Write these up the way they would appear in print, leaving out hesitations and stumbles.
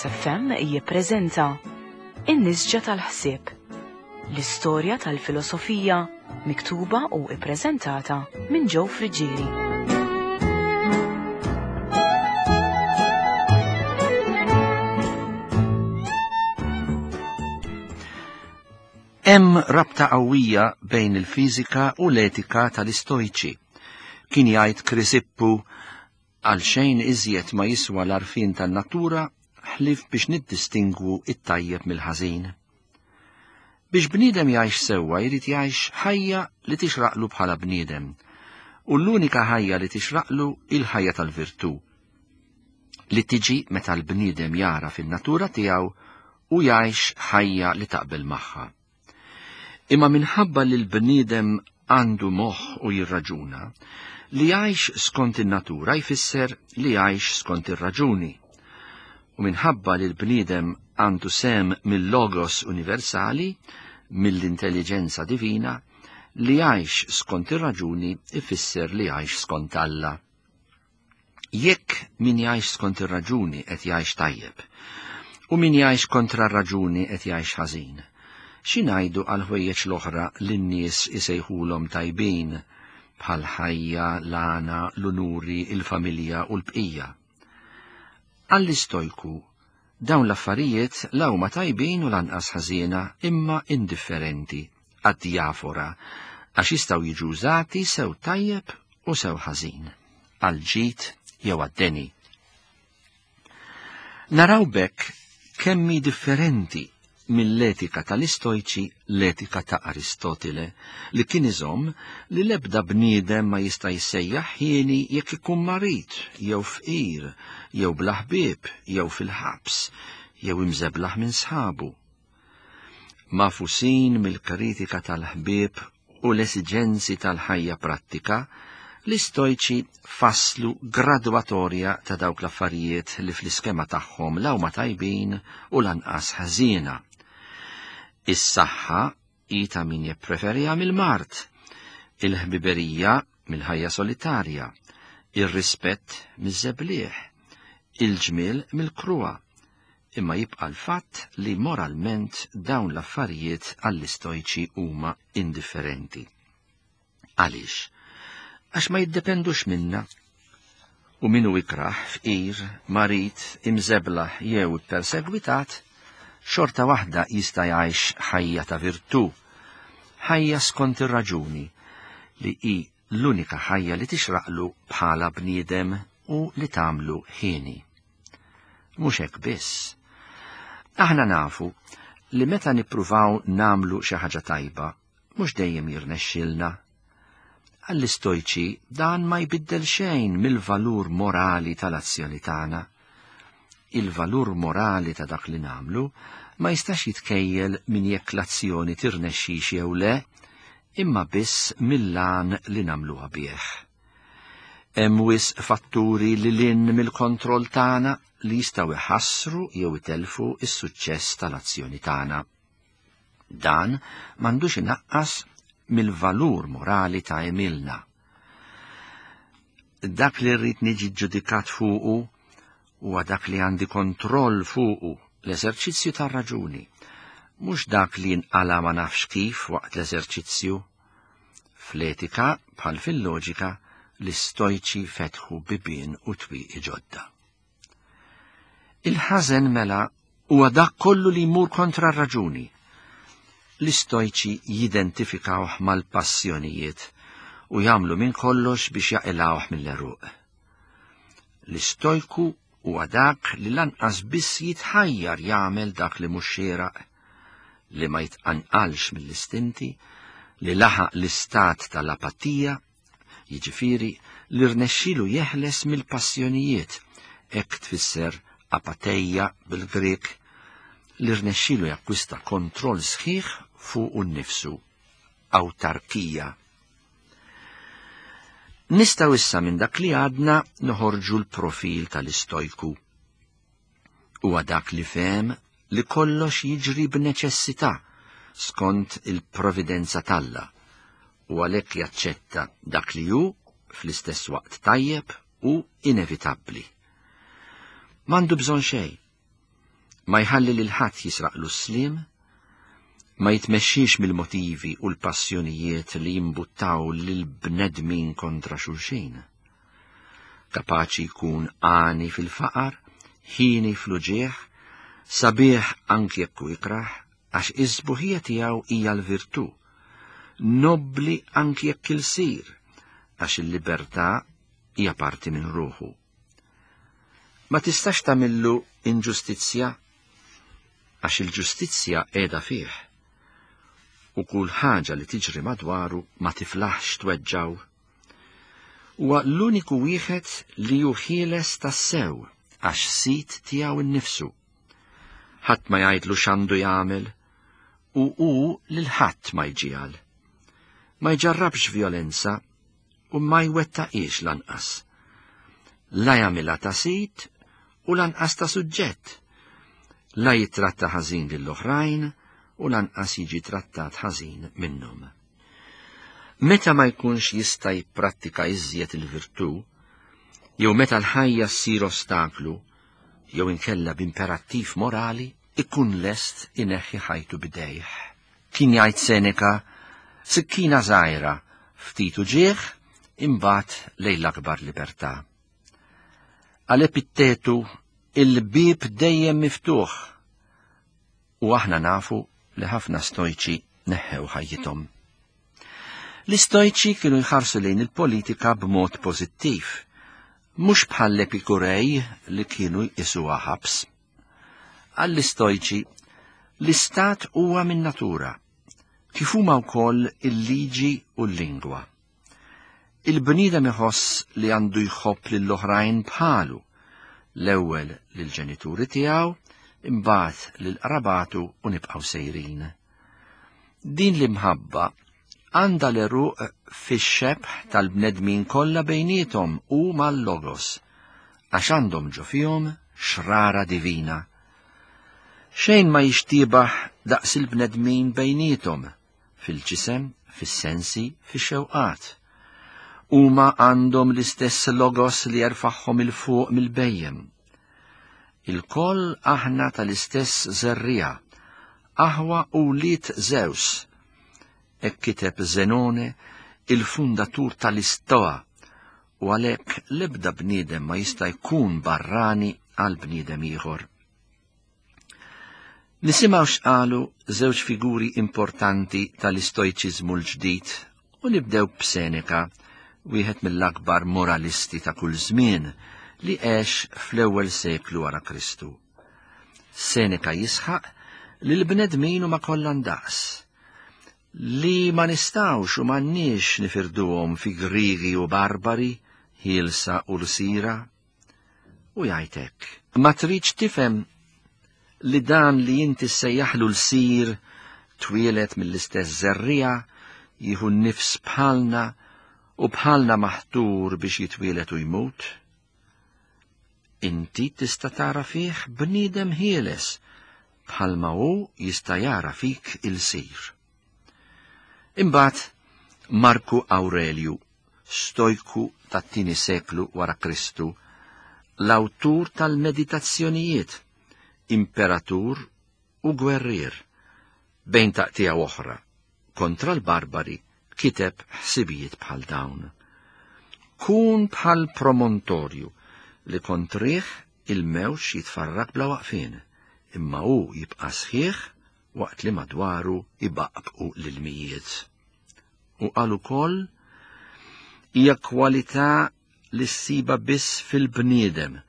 FM jippreżenta In-Nisġa tal-Ħsieb, l-istorja tal-filosofija miktuba u ippreżentata minn Joe Friggieri. Hemm rabta qawwija bejn il-fiżika u l-etika tal-Istojċi. Kien jgħid Krisippu għal xejn iżjed ma jiswa l-għarfien tan-natura ħlief biex niddistingwu it-tajjeb mill-ħażin. Biex bniedem jgħix sewwa jrid jgħix ħajja li tixraqlu bħala bniedem. U l-unika ħajja li tixraqlu il-ħajja tal-virtù. Li tiġi meta l-bniedem jara fin-natura tiegħu u jgħix ħajja li taqbel magħha. Imma minħabba li l-bniedem għandu moħħ u jirraġuna, li jgħix skont in-natura jfisser li jgħix skont ir-raġuni. U minħabba li l-bniedem għandu sem mill-logos universali, mill-intelligenza divina, li jgħix skont ir-raġuni ifisser li jgħix skont Alla. Jekk min jgħix skont ir-raġuni qed jgħix tajjeb, u min jgħix kontra r-raġuni qed jgħix ħażin, xi ngħidu għal ħwejjeġ l-oħra li n-nies isejħulhom tajbin, bħal ħajja, l-għana, l-unuri, il-familja u l-bqija. Għall-istojku, dawn l-affarijiet la huma tajbin u lanqas ħażiena imma indifferenti għad-diafora għax jistgħu jiġu użati sew tajjeb u sew ħażin, għall-ġid jew għad-deni. Naraw bekk kemm hi differenti mill-etika tal-Istojċi l-etika ta' Aristotile li kien iżomm li l-ebda bniedem ma jista' jissejjaħ ħieni jekk ikun marid jew fqir jew bla ħbieb jew fil-ħabs jew imżeblaħ minn sħabu. Magħfusin mill-kritika tal-ħbieb u l-esiġenzi tal-ħajja prattika, l-Istojċi fasslu gradwatorja ta' dawk l-affarijiet li fl-iskema tagħhom la huma tajbin u lanqas ħażiena. Is-saħħa hi ta' min jippreferiha mill-mard, il-ħbiberija mill-ħajja solitarja, ir-rispett miż-żebliħ, il-ġmiel mill-kruha, Imma jibqa' l-fatt li moralment dawn l-affarijiet għall-Istojċi huma indifferenti. Għaliex? Għax ma jiddependux minna. U min hu ikrah, fqir, marid, imżeblaħ jew ippersegwitat, xorta waħda jista' jgħix ħajja ta' virtù, ħajja skont ir-raġuni, li hi l-unika ħajja li tixraqlu bħala bniedem u li tagħmlu ħieni. Mhux hekk biss. Aħna nafu li meta nippruvaw nagħmlu xi ħaġa tajba, mhux dejjem jirnexxilna. Għall-istojċi dan ma jbiddel xejn mill-valur morali tal-azzjoni tagħna. Il-valur morali ta' dak li nagħmlu ma jistax jitkejjel minn jekk l-azzjoni tirnexxix jew le, imma biss mill-għan li nagħmluha bih. Hemm wisq fatturi lil hinn mill-kontroll tagħna li jistgħu jħassru jew itellfu s-suċċess tal-azzjoni tagħna. Dan m'għandux inaqqas mill-valur morali ta' għemilna. Dak li rrid niġi ġudikat fuqu huwa dak li għandi kontroll fuqu, l-eżerċizzju tar-raġuni, mhux dak li jinqala' ma nafx kif waqt l-eżerċizzju. Fl-etika, bħal fil-loġika, l-Istojċi fetħu bibien u twieqi ġodda. Il-ħażen mela huwa dak kollu li jmur kontra r-raġuni. L-Istojċi jidentifikawh mal-passjonijiet u jagħmlu minn kollox biex jaqilgħuh mill-għeruq. L-Istojku huwa dak li lanqas biss jitħajjar jagħmel dak li mhux xieraq, li ma jitqanqalx mill-istinti, li laħaq l-istat tal-apatija, jiġifieri li rnexxielu jeħles mill-passjonijiet, hekk tfisser apateia bil-Grieg, li rnexxielu jakkwista kontroll sħiħ fuqu nnifsu, awtarkija. Nistgħu issa minn dak li għadna noħorġu l-profil tal-istojku. Huwa dak li fehem li kollox jiġri b'neċessità skont il-providenza t'Alla u għalhekk jaċċetta dak li hu fl-istess waqt tajjeb u inevitabbli. M'għandu bżonn xejn. Ma jħalli lil ħadd jisraqlu s-sliem, ma jitmexxix mill-motivi u l-passjonijiet li jimbuttaw lill-bnedmin kontra xulxin. Kapaċi jkun għani fil-faqar, ħieni fl-uġigħ, sabiħ anki jekk hu ikrah, għax is-sbuħija tiegħu hija l-virtù, nobbli anki jekk ilsir, għax il-libertà hija parti minn ruħu. Ma tistax tagħmillu inġustizzja għax il-ġustizzja qiegħda fih u kull ħaġa li tiġri madwaru ma tiflaħx tweġġaw. Huwa l-uniku wieħed li hu ħieles tassew għax sid tiegħu nnifsu. Ħadd ma jgħidlu x'għandu jagħmel u hu lil ħadd ma jġiegħel. Ma jġarrabx vjolenza u ma jwettaqhiex lanqas. La jagħmilha ta' sid u lanqas ta' suġġett. La jittratta ħażin lill-oħrajn u lanqas jiġi trattat ħażin minnhom. Meta ma jkunx jista' jipprattika iżjed il-virtù, jew meta l-ħajja ssir ostaklu, jew inkella b'imperattiv morali, ikun lest ineħħi ħajtu b'idejh. Kien jgħid Seneca, sikkina żgħira, ftit uġigħ, imbagħad lejn l-akbar libertà. Għal Epittetu, il-bieb dejjem miftuħ. U aħna nafu li ħafna stojċi neħħew ħajjithom. L-istojċi kienu jħarsu lejn il-politika b'mod pożittiv, mhux bħall-Epikurej li kienu jqisuha ħabs. Għall-Istojċi, l-istat huwa min-natura, kif huma wkoll il-liġi u l-lingwa. Il-bniedem iħoss li għandu jħobb lill-oħrajn bħalu, l-ewwel lill-ġenituri tiegħu, imbagħad lil qrabatu u nibqgħu sejrin. Din l-imħabba għandha l-għeruq fix-xebh tal-bnedmin kollha bejniethom u mal-Logos, għax għandhom ġo fihom xrara divina. Xejn ma jixtiebaħ daqs il-bnedmin bejniethom, fil-ġisem, fis-sensi, fix-xewqat. Huma għandhom l-istess Logos li jerfagħhom 'il fuq mill-bhejjem. Ilkoll aħna tal-istess żerriegħa, aħwa u wlied Zeus. Hekk kiteb Zenone, il-fundatur tal-Istoa, u għalhekk l-ebda bniedem ma jista' jkun barrani għal bniedem ieħor. Nisimgħu x'qalu żewġ figuri importanti tal-Istojċiżmu l-ġdid u nibdew b'Seneca, wieħed mill-akbar moralisti ta' kull żmien li għex fl-ewwel seklu wara Kristu. Seneca jisħaq li l-bnedmin huma kollha ndaqs, li ma nistgħux u m'għandniex nifirduhom fi Griegi u Barbari, ħielsa u lsira. U jgħid hekk. Ma tridx tifhem li dan li inti ssejjaħlu lsir twieled mill-istess żerriegħa, jieħu n-nifs bħalna u bħalna maħtur biex jitwieled u jmut? Inti tista' tara fih bniedem ħieles bħalma hu jista' jara fik ilsir. Imbagħad Marku Awrelju, stojku tat-tieni seklu wara Kristu, l-awtur tal-Meditazzjonijiet, imperatur u gwerrier, bejn taqtiegħa u oħra, kontra l-barbari kiteb ħsibijiet bħal dawn. Kun bħal promontorju li kontrih il-mewġ jitfarrak bla waqfien, imma hu jibqa' sħiħ waqt li madwaru jbaqbqu l-ilmijiet. U qal ukoll hija kwalità li ssibha biss fil-bniedem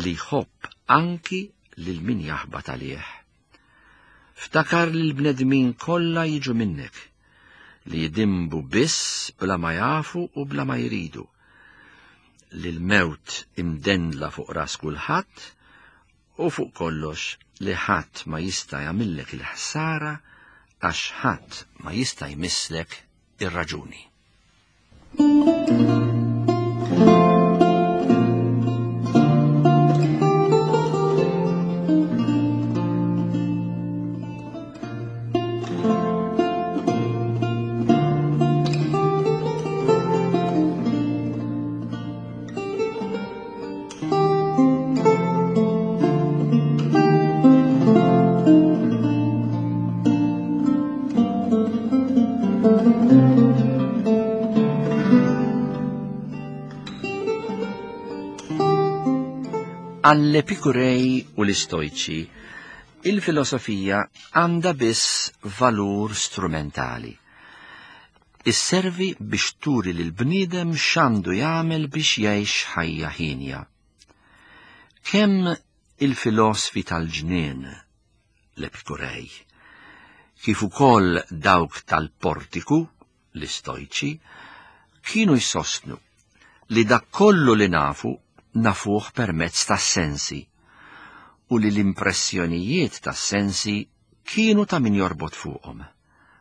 li jħobb anki lil min jaħbat għalih. Ftakar li l-bnedmin kollha jiġu minnek, li jidinbu biss bla ma jafu u bla ma jridu, li l-mewt imdendla fuq ras kulħadd u fuq kollox li ħadd ma jista' jagħmillek il-ħsara għax ħadd ma jista' jmisslek ir-raġuni. Għall-Epikurej u l-Istojċi, il-filosofija għandha biss valur strumentali. Isservi biex turi lil bniedem x'għandu jagħmel biex jgħix ħajja ħienja. Kemm il-filosfi tal-ġnien, l-Epikurej, kif ukoll dawk tal-portiku, l-Istojċi, kienu jsostnu li dak kollu li nafu nafuh permezz tas-sensi u li l-impressjonijiet tas-sensi kienu ta' min jorbot fuqhom.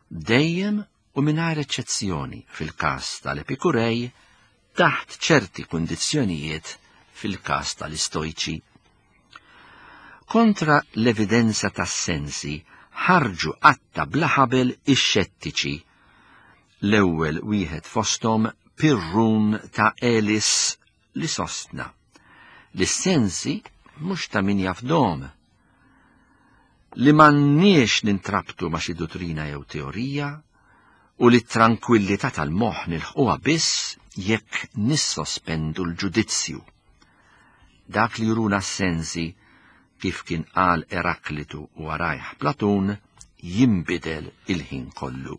Dejjem u mingħajr eċċezzjoni fil-każ tal-Epikurej, taħt ċerti kundizzjonijiet fil-każ tal-Istojċi. Kontra l-evidenza tas-sensi ħarġu qatta bla ħabel ix-xettiċi. L-ewwel wieħed fosthom Pirrun ta' Elis li sostna li s-sensi mhux ta' min jafdhom, li m'għandniex nintrabtu ma' xi duttrina jew teorija u li t-trankwillità tal-moħħ nilħquha biss jekk nissospendu l-ġudizzju. Dak li juruna s-sensi, kif kien qal Eraklitu u warajh Platun, jinbidel il-ħin kollu.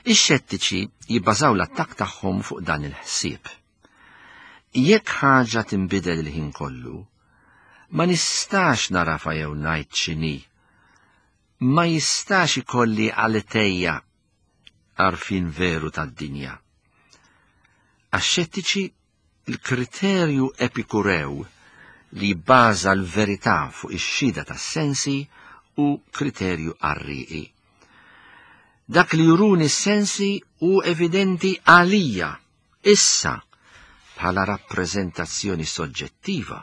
Ix-xettiċi jibbażaw l-attakk tagħhom fuq dan il-ħsieb. Jekk ħaġa tinbidel il-ħin kollu, ma nistax narafa jew ngħid x'inhi. Ma jistax ikolli għalitejja għarfien veru tad-dinja. Għax-xettiċi il-kriterju Epikurew li jibbaża l-verità fuq ix-xhieda tas-sensi hu kriterju qarrieqi. Dak li juruni s-sensi hu evidenti għalija, issa, bħala rappreżentazzjoni soġġettiva.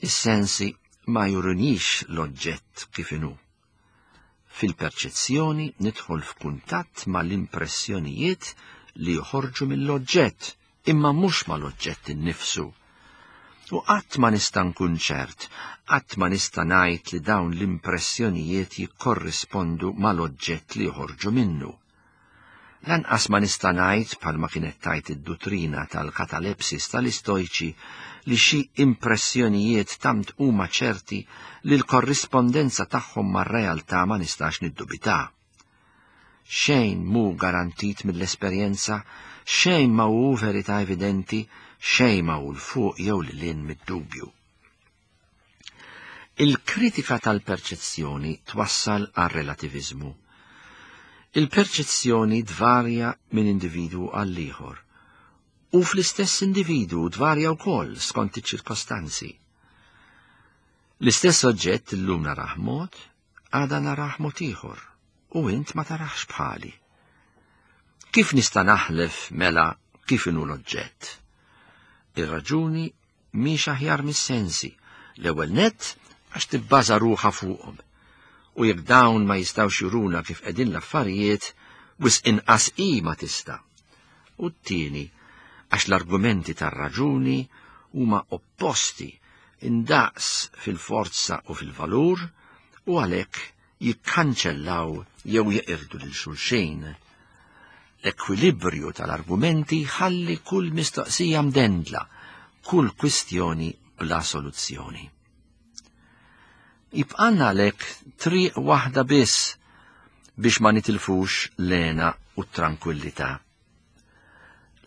Is-sensi ma jurunix l-oġġett kif inhu. Fil-perċezzjoni nidħol f'kuntatt mal-impressjonijiet li joħorġu mill-oġġett, imma mhux mal-oġġett innifsu. U qatt ma nista' nkun ċert, qatt ma nista' ngħid li dawn l-impressjonijiet jikkorrispondu mal-oġġett li joħorġu minnu. Lanqas ma nista' ngħid, bħalma kienet tgħid id-duttrina tal-katalepsis tal-Istojċi, li xi impressjonijiet tant huma ċerti li l-korrispondenza tagħhom mar-realtà ma nistax niddubitha. Xejn mhu garantit mill-esperjenza, xejn ma hu verità evidenti, xejn ma hu 'l fuq jew lil hinn mid-dubju. Il-kritika tal-perċezzjoni twassal għar-relativiżmu. Il-perċezzjoni tvarja minn individwu għal ieħor u fl-istess individwu tvarja wkoll skont iċ-ċirkostanzi. L-istess oġġett illum narah mod, għada narah mod ieħor u int ma taraħx bħali. Kif nista' naħlef mela kif inhu l-oġġett? Ir-raġuni mhix aħjar mis-sensi, l-ewwel nett għax tibbaża ruħha fuqhom. U jekk dawn ma jistgħux juruna kif qegħdin l-affarijiet, wisq inqas hi ma tista'. U t-tieni, għax l-argumenti tar-raġuni huma opposti indaqs fil-forza u fil-valur u għalhekk jikkanċellaw jew jeqirdu lil xulxin. L-ekwilibrju tal-argumenti jħalli kull mistoqsija mdendla, kull kwistjoni bla soluzzjoni. Jibqalna għalhekk triq waħda biss biex ma nitilfux l-hena u t-trankwillità.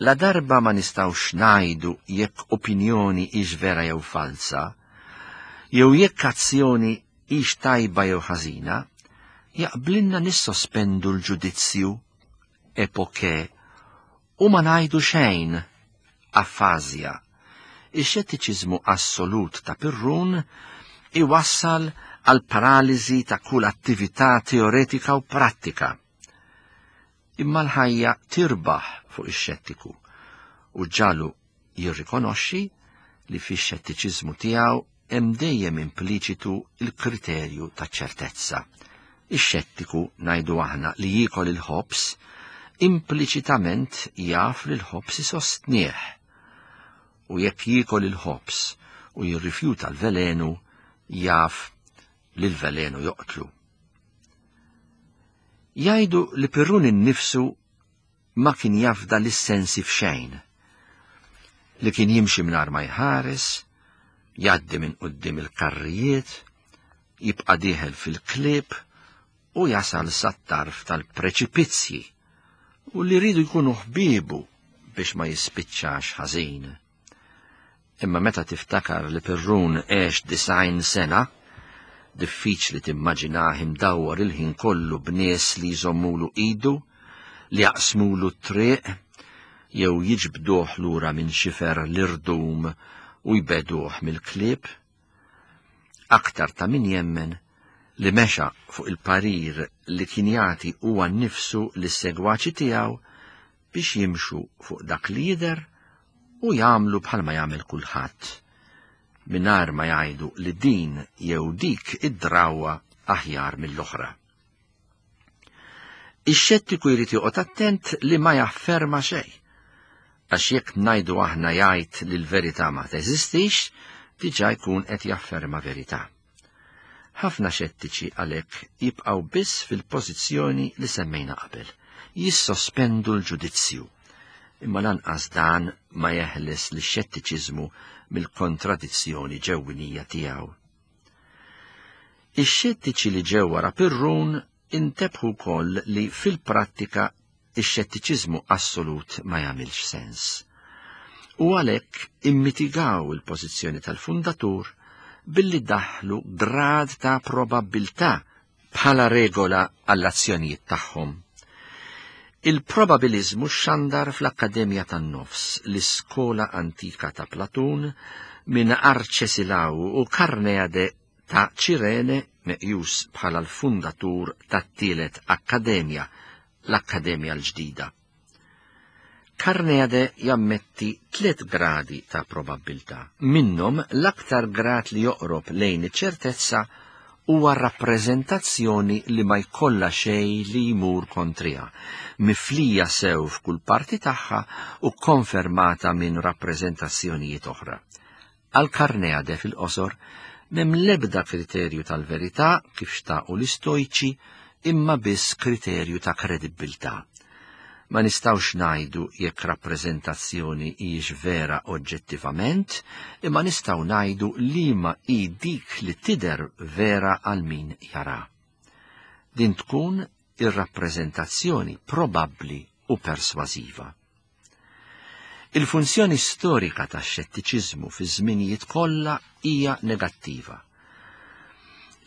La darba ma nistgħux ngħidu jekk opinjoni hix vera jew falza, jew jekk azzjoni hix tajba jew ħażina, jaqblinna nissospendu l-ġudizzju, epoke, u ma ngħidu xejn, afazja. Ix-xettiċiżmu assolut ta' Pirrun iwassal għal paraliżi ta' kull attività teoretika u prattika. Imma l-ħajja tirbaħ fuq ix-xettiku u ġalu jirrikonoxxi li fix-xettiċiżmu tiegħu hemm dejjem impliċitu l-kriterju taċ-ċertezza. Ix-xettiku, ngħidu aħna, li jiekol il-ħobż, impliċitament jaf li l-ħobż isostnih. U jekk jiekol il-ħobż u jirrifjuta l-velenu, jaf li l-velenu joqtlu. Jgħidu li Pirrun innifsu ma kien jafda lis-sensi f'xejn. li kien jimxi mingħajr ma jħares, jgħaddi minn quddiem il-karrijiet, jibqa' dieħel fil-klieb u jasal sat-tarf tal-preċipizzji u li rridu jkunu ħbiebu biex ma jispiċċax ħażin. Imma meta tiftakar li Pirrun għex 90 sena, diffiċli timmaġinah imdawwar il-ħin kollu b'nies li jżommulu idu, li jaqsmulu t-triq, jew jiġbduh lura minn xifer l-irdum u jbeduh mill-klieb. Aktar ta' min jemmen li mexa fuq il-parir li kien jagħti huwa nnifsu lis-segwaċi tiegħu biex jimxu fuq dak li jidher u jagħmlu bħalma jagħmel kulħadd, mingħajr ma jgħidu li din jew dik id-drawwa aħjar mill-oħra. Ix-xettiku jrid joqgħod attent li ma jafferma xejn. Għax jekk ngħidu aħna jgħid li l-verità ma teżistix, diġà jkun qed jafferma verità. Ħafna xettiċi għalhekk jibqgħu biss fil-pożizzjoni li semmejna qabel, jissospendu l-ġudizzju. Imma lanqas dan ma jeħles lix-xettiċiżmu mill-kontradizzjoni ġewwinija tiegħu. Ix-xettiċi li ġew wara Pirrun intebħu wkoll li fil-prattika ix-xettiċiżmu assolut ma jagħmilx sens. U għalhekk immitigaw il-pożizzjoni tal-fundatur billi daħlu grad ta' probabbiltà bħala regola għall-azzjonijiet tagħhom. Il-probabiliżmu xandar fl-Akkademja tan-Nofs, l-iskola antika ta' Platun, minn Arċesilaw u Karneade ta' Ċirene, meqjus bħala l-fundatur tat-tielet Akkademja, l-Akkademja l-ġdida. Karneade jammetti 3 gradi ta' probabbiltà. Minnhom l-aktar grad li joqrob lejn iċ-ċertezza huwa rappreżentazzjoni li ma jkollha xejn li jmur kontriha, miflija sew f'kull parti tagħha u konfermata minn rappreżentazzjonijiet oħra. Għal Karneade fil-qosor m'hemm l-ebda kriterju tal-verità kif xtaqu l-Istojċi, imma biss kriterju ta' kredibbiltà. Ma nistgħux ngħidu jekk rappreżentazzjoni hijiex vera oġġettivament, imma nistgħu ngħidu liema hi dik li tidher vera għal min jara. Din tkun ir-rappreżentazzjoni probabbli u persważiva. Il-funzjoni storika tax-xettiċiżmu fi żminijiet kollha hija negattiva.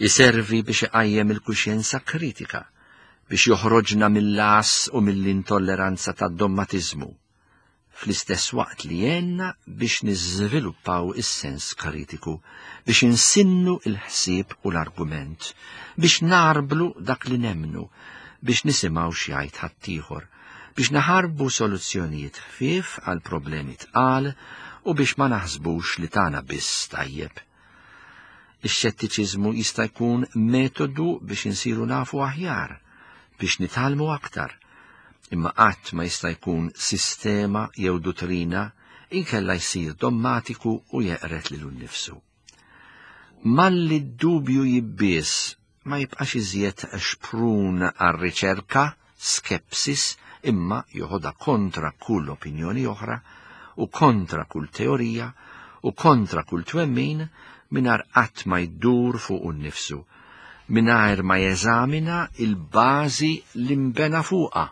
Iservi biex iqajjem il-kuxjenza kritika, biex joħroġna mill-għas u mill-intolleranza tad-dommatiżmu, fl-istess waqt li jgħinna biex niżviluppaw is-sens kritiku, biex insinnu il-ħsieb u l-argument, biex narblu dak li nemmnu, biex nisimgħu x'jgħid ħaddieħor, biex naħarbu soluzzjonijiet ħfief għal problemi tqal u biex ma naħsbux li tagħna biss tajjeb. Ix-xettiċiżmu jista' jkun metodu biex insiru nafu aħjar, biex nitgħallmu aktar, imma qatt ma jista' jkun sistema jew duttrina inkella jsir dommatiku u jeqret lilu nnifsu. Malli d-dubju jibbies ma jibqax iżjed xprun għar-riċerka, skepsis, imma joħodha kontra kull opinjoni oħra u kontra kull teorija u kontra kull twemmin mingħajr qatt ma jdur fuq nnifsu, mingħajr ma jeżamina il-bażi li nbena fuqha,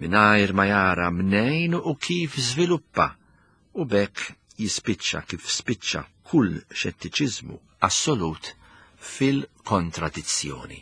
mingħajr ma jara mnejn u kif żviluppa, u b'hekk jispiċċa kif spiċċa kull xettiċiżmu assolut fil-kontradizzjoni.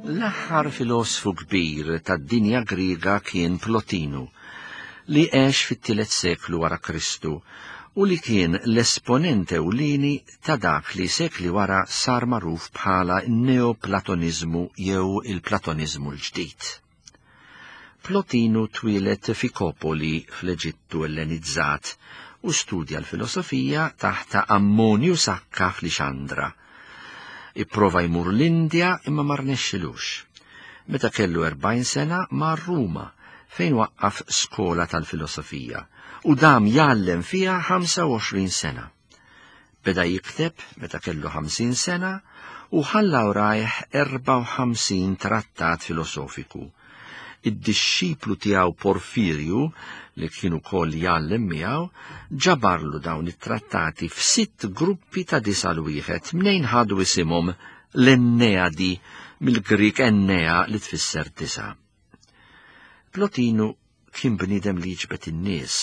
L-aħħar filosfu kbir tad-dinja Griega kien Plotinu, li għex fit-tielet seklu wara Kristu u li kien l-esponent ewlieni ta' dak li sekli wara sar magħruf bħala n-Neoplatoniżmu jew il-Platoniżmu l-ġdid. Plotinu twieled f'Ikopoli fl-Eġittu Ellenizzat u studja l-filosofija taħt Ammonju Sakka f'Lixandra. Ipprova jmur l-Indja imma ma rnexxilux. Meta kellu 40 sena mar Ruma fejn waqqaf skola tal-filosofija u dam jgħallem fiha 25 sena. Beda jikteb meta kellu 50 sena u ħalla warajh 54 trattat filosofiku. Id-dixxiplu tiegħu Porfirju, li kien ukoll jgħallem miegħu, ġabarlu dawn it-trattati f'sitt gruppi ta' disa' l wieħed mnejn ħadu isimhom l-Enneadi mill-Grieg Ennea li tfisser disa'. Plotinu kien bniedem li jiġbed in-nies,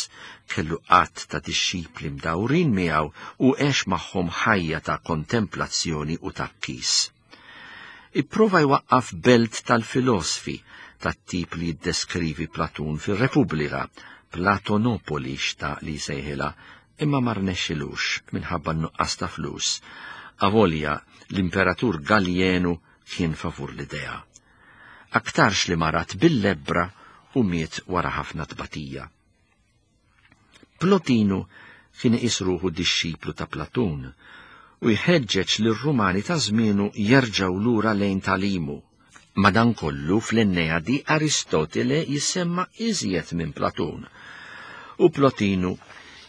kellu għadd ta' dixxipli mdawrin miegħu u għex magħhom ħajja ta' kontemplazzjoni u tgħakkis. Ipprova jwaqqaf belt tal-filosfi tat-tip li jiddeskrivi Platun fir-Repubblika, Platonopoli xtaq li jsejħilha, imma ma rnexxilux minħabba n-nuqqas ta' flus, avolja l-Imperatur Gallienu kien favur l-idea. Aktarx li marad bil-lebbra u miet wara ħafna tbatija. Plotinu kien iqis ruħu dixxiplu ta' Platun u jħeġġeġ lir-Rumani ta' żmienu jerġgħu lura lejn tagħlimu. Madankollu fl-Enneadi Aristotele jissemma iżjed minn Platun u Plotinu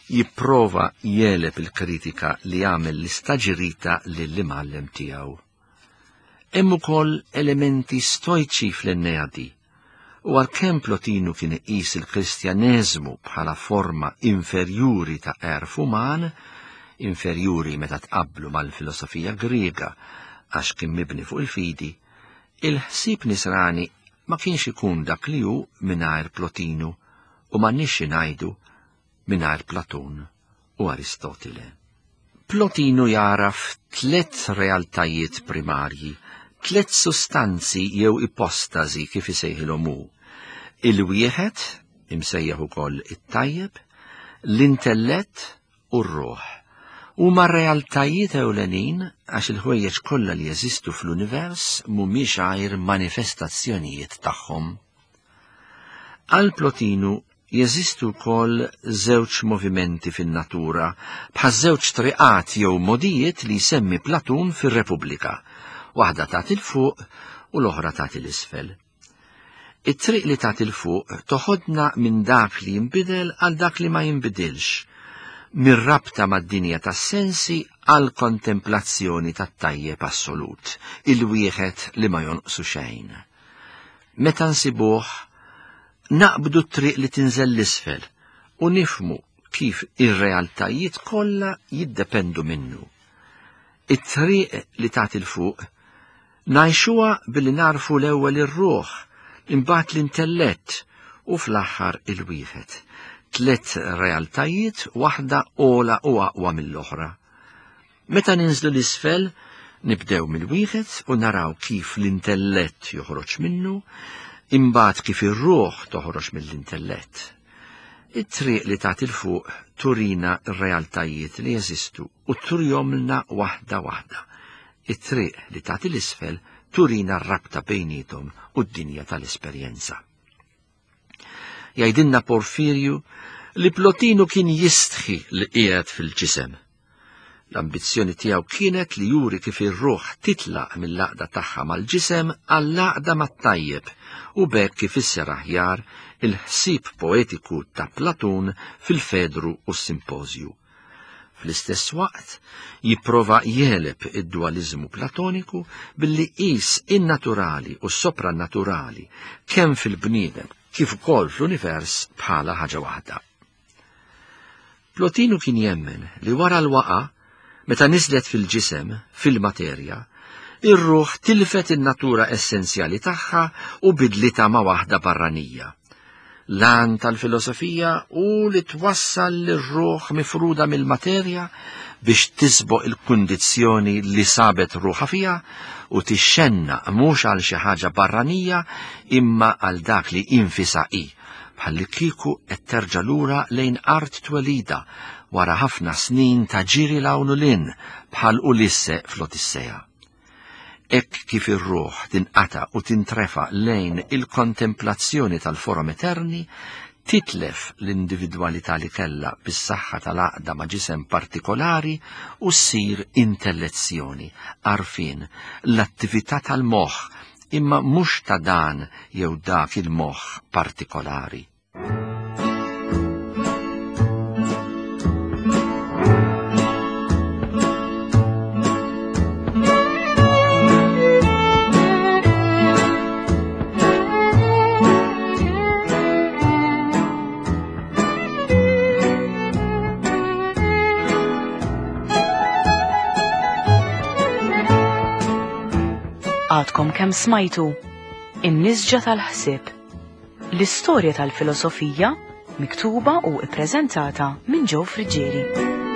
jipprova jegħleb il-kritika li għamel l-istaġirita lill-imgħallem tiegħu. Hemm ukoll elementi stojċi fl-Enneadi, u għalkemm Plotinu kien iqis il-Kristjaneżmu bħala forma inferjuri ta' għerf uman, inferjuri meta tqabblu mal-filosofija Griega għax kien mibni fuq il-fidi, il-ħsieb Nisrani ma kienx ikun dak li hu mingħajr Plotinu u m'għandniex xi ngħidu mingħajr Platun u Aristotile. Plotinu jagħraf tliet realtajiet primarji, tliet sustanzi jew ipostasi kif isejħilhom hu. Il-wieħed, imsejjaħ ukoll it-tajjeb, l-intellett u r-ruħ. Huma realtajiet ewlenin għax il-ħwejjeġ kollha li jeżistu fl-univers mhumiex għajr manifestazzjonijiet tagħhom. Għal Plotinu Jeżistu wkoll żewġ movimenti fin-natura, bħaż-żewġ triqat jew mogħdijiet li jsemmi Platun fir-Repubblika, waħda tagħti 'l fuq u l-oħra tagħti 'l isfel. It-triq li tagħti 'l fuq toħodna minn dak li jinbidel għal dak li ma jinbidilx, mir-rabta mad-dinja tas-sensi għall-kontemplazzjoni tat-tajjeb assolut, il-wieħed li ma jonqsu xejn. Meta nsibuh, Naqbdu t-triq li tinżel 'l isfel u nifhmu kif ir-realtajiet kollha jiddependu minnu. It-triq li tagħti 'l fuq ngħixuha billi nagħrfu l-ewwel ir-ruħ, imbagħad l-intellett u fl-aħħar il-wieħed. Tliet realtajiet waħda ogħla u aqwa mill-oħra. Meta ninżlu 'l isfel, nibdew mill-wieħed u naraw kif l-intellett joħroġ minnu, imbagħad kif ir-ruħ toħroġ mill-intellett. It-triq li tagħti 'l fuq turina r-realtajiet li jeżistu u turihomlna waħda waħda. It-triq li tagħti 'l isfel turina r-rabta bejniethom u d-dinja tal-esperjenza. Jgħidilna Porfirju li Plotinu kien jistħi li qiegħed fil-ġisem. L-ambizzjoni tiegħu kienet li juri kif ir-ruħ titlaq mill-għaqda tagħha mal-ġisem għall-għaqda mat-tajjeb u b'hekk ifisser aħjar il-ħsieb poetiku ta' Platun fil-Fedru u s-Simpożju. Fl-istess waqt, jipprova jegħleb id-dualiżmu Platoniku billi jqis in-naturali u s-soprannaturali kemm fil-bniedem kif ukoll fl-univers bħala ħaġa waħda. Plotinu kien jemmen li wara l-waqa, meta niżlet fil-ġisem, fil-materja, ir-ruħ tilfet in-natura essenzjali tagħha u bidlitha ma' waħda barranija. L-għan tal-filosofija hu li twassal lir-ruħ mifruda mill-materja biex tisboq il-kundizzjoni li sabet ruħha fiha u tixxennaq mhux għal xi ħaġa barranija imma għal dak li infisha hi, bħallikieku qed terġa' lura lejn art twelidha wara ħafna snin ta' ġiri 'l hawn u 'l hinn bħal Ulisse fl-Odissea. Hekk kif ir-ruħ tinqata' u tintrefa' lejn il-kontemplazzjoni tal-forom eterni, titlef l-individwalità li kellha bis-saħħa tal-għaqda ma' ġisem partikolari u ssir intellezzjoni, għarfien, l-attività tal-moħħ, imma mhux ta' dan jew dak il-moħħ partikolari. Għadkom kemm smajtu In-nisġa tal-ħsieb. L-istorja tal-filosofija miktuba u ippreżentata minn Joe Friggieri.